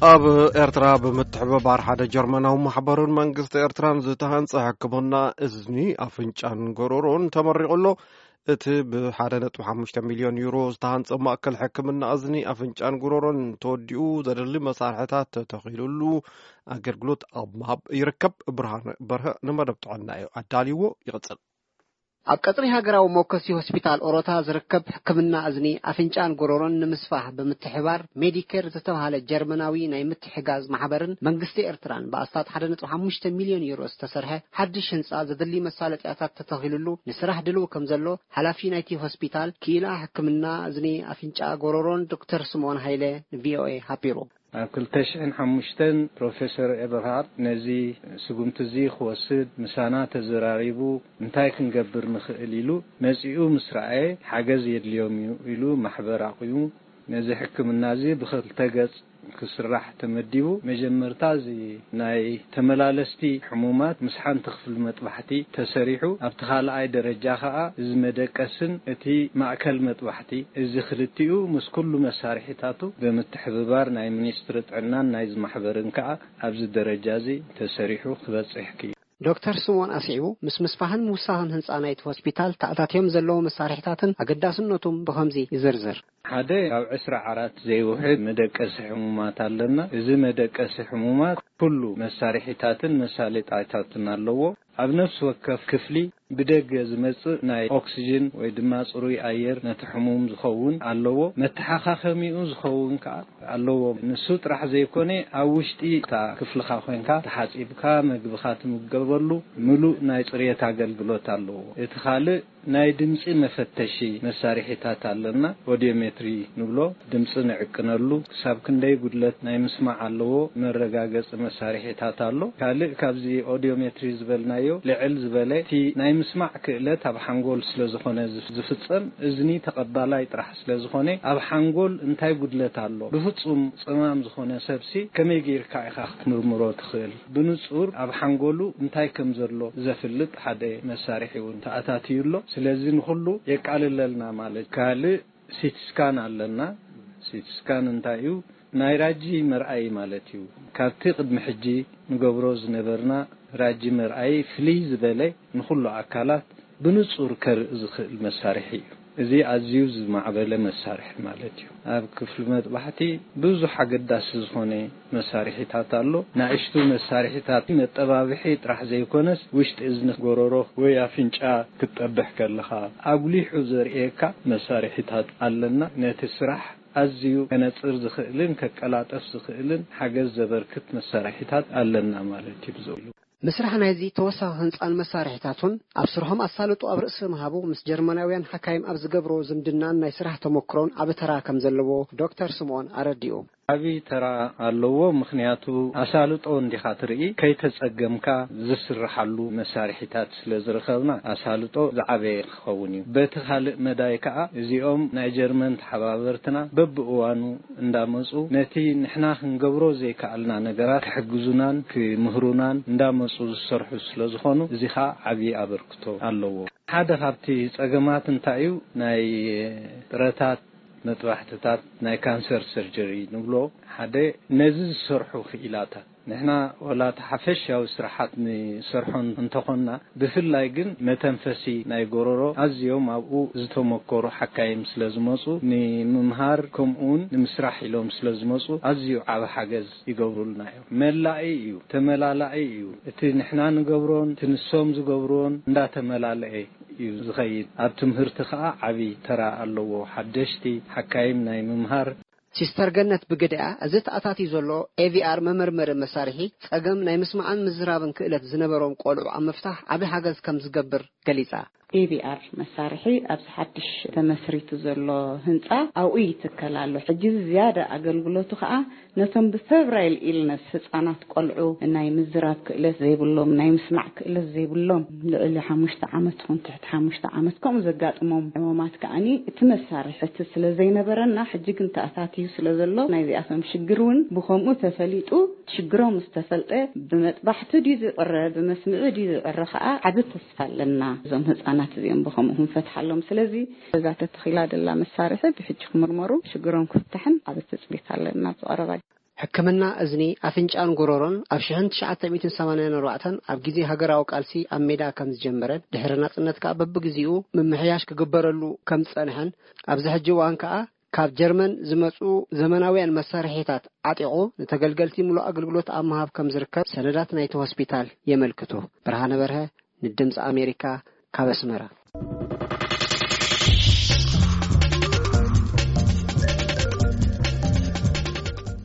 ኣብ ኤርትራ ብምትሕብባር ሓደ ጀርመናዊ ማሕበርን መንግስቲ ኤርትራን ዝተሃንጸ ሕክምና እዝኒ፣ ኣፍንጫን ጎሮሮን ተመሪቑ ኣሎ። እቲ ብ1.5 ሚልዮን ዩሮ ዝተሃንጸ ማእከል ሕክምና እዝኒ፣ ኣፍንጫን ጎሮሮን ተወዲኡ፣ ዘድሊ መሳርሕታት ተተኺሉሉ ኣገልግሎት ኣብ ምሃብ ይርከብ። ብርሃን በርሀ ንመደብ ጥዕና እዩ ኣዳልይዎ። ይቕጽል። ኣብ ቀጽሪ ሃገራዊ ሞከሲ ሆስፒታል ኦሮታ ዝርከብ ሕክምና እዝኒ፣ ኣፍንጫን ጎሮሮን ንምስፋሕ ብምትሕባር ሜዲኬር ዝተባህለ ጀርመናዊ ናይ ምትሕጋዝ ማሕበርን መንግስቲ ኤርትራን ብኣስታት ሓደ ነጥቢ ሓሙሽተ ሚልዮን ዩሮ ዝተሰርሐ ሓድሽ ህንጻ ዘድሊ መሳለጥያታት ተተኺሉሉ ንስራሕ ድልው ከም ዘሎ ሓላፊ ናይቲ ሆስፒታል ክኢላ ሕክምና እዝኒ፣ ኣፍንጫ፣ ጎሮሮን ዶክተር ስምኦን ሃይለ ንቪኦኤ ሓቢሩ። ኣብ ክልተ ሽሕን ሓሙሽተን ፕሮፌሰር ኤበርሃርት ነዚ ስጉምቲ እዚ ክወስድ ምሳና ተዘራሪቡ፣ እንታይ ክንገብር ንኽእል ኢሉ መጺኡ ምስ ረኣየ፣ ሓገዝ የድልዮም እዩ ኢሉ ማሕበር ኣቑሙ። ነዚ ሕክምና እዚ ብኽልተ ገጽ ክስራሕ ተመዲቡ። መጀመርታ እዚ ናይ ተመላለስቲ ሕሙማት ምስ ሓንቲ ክፍሊ መጥባሕቲ ተሰሪሑ፣ ኣብቲ ካልኣይ ደረጃ ኸኣ እዚ መደቀስን እቲ ማእከል መጥባሕቲ፣ እዚ ክልቲኡ ምስ ኩሉ መሳርሒታቱ ብምትሕብባር ናይ ሚኒስትሪ ጥዕናን ናይዚ ማሕበርን ከኣ ኣብዚ ደረጃ እዚ ተሰሪሑ ክበጽሕ ክኢሉ። ዶክተር ስምኦን ኣስዒቡ፣ ምስ ምስፋሕን ምውሳኽን ህንጻ ናይቲ ሆስፒታል ተኣታትዮም ዘለዉ መሳርሒታትን ኣገዳስነቱም ብኸምዚ ይዝርዝር። ሓደ፣ ኣብ ዕስራ ዓራት ዘይውሕድ መደቀሲ ሕሙማት ኣለና። እዚ መደቀሲ ሕሙማት ኩሉ መሳርሒታትን መሳለጥያታትን ኣለዎ። ኣብ ነፍሲ ወከፍ ክፍሊ ብደገ ዝመጽእ ናይ ኦክስጅን ወይ ድማ ጽሩይ ኣየር ነቲ ሕሙም ዝኸውን ኣለዎ። መተሓኻኸሚኡ ዝኸውን ከኣ ኣለዎ። ንሱ ጥራሕ ዘይኮነ፣ ኣብ ውሽጢ እታ ክፍልኻ ኮይንካ ተሓጺብካ መግብኻ ትምገበሉ ምሉእ ናይ ጽሬት ኣገልግሎት ኣለዎ። እቲ ካልእ ናይ ድምጺ መፈተሺ መሳርሒታት ኣለና። ኦዲዮሜትሪ ንብሎ፣ ድምጺ ንዕቅነሉ፣ ክሳብ ክንደይ ጉድለት ናይ ምስማዕ ኣለዎ መረጋገጺ መሳርሒታት ኣሎ። ካልእ ካብዚ ኦዲዮሜትሪ ዝበልናዮ ልዕል ዝበለ፣ እቲ ናይ ምስማዕ ክእለት ኣብ ሓንጎል ስለ ዝኾነ ዝፍ-፣ ዝፍጸም፣ እዝኒ ተቐባላይ ጥራሕ ስለ ዝኾነ፣ ኣብ ሓንጎል እንታይ ጉድለት ኣሎ፣ ብፍጹም ጸማም ዝኾነ ሰብሲ ከመይ ጌርካ ኢኻ ክትምርምሮ ትኽእል? ብንጹር ኣብ ሓንጎሉ እንታይ ከም ዘሎ ዘፍልጥ ሓደ መሳርሒ እውን ተኣታትዩ ኣሎ። ስለዚ ንኹሉ የቃልለልና ማለት። ካልእ ሲቲ ስካን ኣለና። ሲቲ ስካን እንታይ እዩ? ናይ ራጂ መርኣይ ማለት እዩ። ካብቲ ቅድሚ ሕጂ ንገብሮ ዝነበርና ራጂ መርኣይ ፍልይ ዝበለ፣ ንኹሉ ኣካላት ብንጹር ከርኢ ዝኽእል መሳርሒ እዩ። እዚ ኣዝዩ ዝማዕበለ መሳርሒ ማለት እዩ። ኣብ ክፍሊ መጥባሕቲ ብዙሕ ኣገዳሲ ዝኾነ መሳርሒታት ኣሎ። ንኣሽቱ መሳርሒታት መጠባብሒ ጥራሕ ዘይኮነስ፣ ውሽጢ እዝኒ፣ ጎረሮ ወይ ኣፍንጫ ክትጠብሕ ከለኻ ኣጉሊሑ ዘርእየካ መሳርሒታት ኣለና። ነቲ ስራሕ ኣዝዩ ከነጽር ዝኽእልን ከቀላጠፍ ዝኽእልን ሓገዝ ዘበርክት መሳርሒታት ኣለና ማለት እዩ። ብዝብሉ ምስራሕ ናይዚ ተወሳኺ ህንጻን መሳርሒታቱን፣ ኣብ ስርሖም ኣሳልጦ ኣብ ርእሲ ምሃቡ፣ ምስ ጀርመናውያን ሓካይም ኣብ ዝገብሮ ዝምድናን ናይ ስራሕ ተመክሮን ዓቢ ተራ ከም ዘለዎ ዶክተር ስምኦን ኣረዲኡ። ዓቢ ተራ ኣለዎ። ምኽንያቱ ኣሳልጦ እንዲኻ ትርኢ፣ ከይተጸገምካ ዝስርሓሉ መሳርሒታት ስለ ዝረኸብና፣ ኣሳልጦ ዝዓበየ ክኸውን እዩ። በቲ ካልእ መዳይ ከኣ፣ እዚኦም ናይ ጀርመን ተሓባበርትና በብእዋኑ እንዳመጹ፣ ነቲ ንሕና ክንገብሮ ዘይከኣልና ነገራት ክሕግዙናን ክምህሩናን እንዳመጹ ዝሰርሑ ስለ ዝኾኑ፣ እዚ ኸኣ ዓቢ ኣበርክቶ ኣለዎ። ሓደ ካብቲ ጸገማት እንታይ እዩ? ናይ ጥረታት መጥባሕትታት፣ ናይ ካንሰር ሰርጀሪ ንብሎ፣ ሓደ ነዚ ዝሰርሑ ክኢላታት፣ ንሕና ወላ እቲ ሓፈሻዊ ስራሓት ንሰርሖ እንተኾንና፣ ብፍላይ ግን መተንፈሲ ናይ ጎረሮ ኣዝዮም ኣብኡ ዝተመኮሩ ሓካይም ስለ ዝመጹ፣ ንምምሃር ከምኡውን ንምስራሕ ኢሎም ስለ ዝመጹ፣ ኣዝዩ ዓቢ ሓገዝ ይገብሩልና እዮም። መላኢ እዩ፣ ተመላላኢ እዩ። እቲ ንሕና ንገብሮን እቲ ንሶም ዝገብርዎን እንዳተመላለኤ እዩ ዝኸይድ። ኣብ ትምህርቲ ኸኣ ዓቢ ተራ ኣለዎ። ሓደሽቲ ሓካይም ናይ ምምሃር። ሲስተር ገነት ብግደኣ፣ እዚ ተኣታትዩ ዘሎ ኤ ቪ ኣር መመርመሪ መሳርሒ፣ ጸገም ናይ ምስማዕን ምዝራብን ክእለት ዝነበሮም ቆልዑ ኣብ ምፍታሕ ዓቢ ሓገዝ ከም ዝገብር ገሊጻ። ኤ ቪ ኣር መሳርሒ ኣብዚ ሓድሽ ተመስሪቱ ዘሎ ህንጻ ኣብኡ ይትከል ኣሎ። ሕጂ እዚ ዝያዳ ኣገልግሎቱ ኸኣ ነቶም ብፈብራይል ኢልነስ ህጻናት ቆልዑ፣ ናይ ምዝራብ ክእለት ዘይብሎም፣ ናይ ምስማዕ ክእለት ዘይብሎም፣ ልዕሊ ሓሙሽተ ዓመት ይኹን ትሕቲ ሓሙሽተ ዓመት ከምኡ ዘጋጥሞም ሕሙማት ከኣኒ እቲ መሳርሒ እቲ ስለ ዘይነበረና፣ ሕጂ ግን ተኣታትዩ ስለ ዘሎ ናይዚኣቶም ሽግር እውን ብኸምኡ ተፈሊጡ፣ ሽግሮም ምስ ተፈልጠ ብመጥባሕቲ ድዩ ዝቕረ፣ ብመስምዒ ድዩ ዝቕረ ኸኣ ዓቢ ተስፋ ኣለና። እዞም ህጻናት እዚኦም ብኸምኡ ክንፈትሓሎም። ስለዚ እዛ ተተኺላ ዘላ መሳርሒ ብሕጂ ክምርመሩ፣ ሽግሮም ክፍታሕን ዓቢ ትጽቢት ኣለና ኣብዚ ቀረባ። ሕክምና እዝኒ፣ ኣፍንጫን ጎረሮን ኣብ ሽሕን ትሽዓተ ሚእትን ሰማንያን ኣርባዕተን ኣብ ግዜ ሃገራዊ ቃልሲ ኣብ ሜዳ ከም ዝጀመረን ድሕሪ ናጽነት ከኣ በብግዜኡ ምምሕያሽ ክግበረሉ ከም ዝጸንሐን ኣብዚ ሕጂ እዋን ከኣ ካብ ጀርመን ዝመጹ ዘመናውያን መሳርሒታት ዓጢቑ ንተገልገልቲ ምሉእ ኣገልግሎት ኣብ ምሃብ ከም ዝርከብ ሰነዳት ናይቲ ሆስፒታል የመልክቱ። ብርሃነ በርሀ ንድምፂ ኣሜሪካ ካብ ኣስመራ።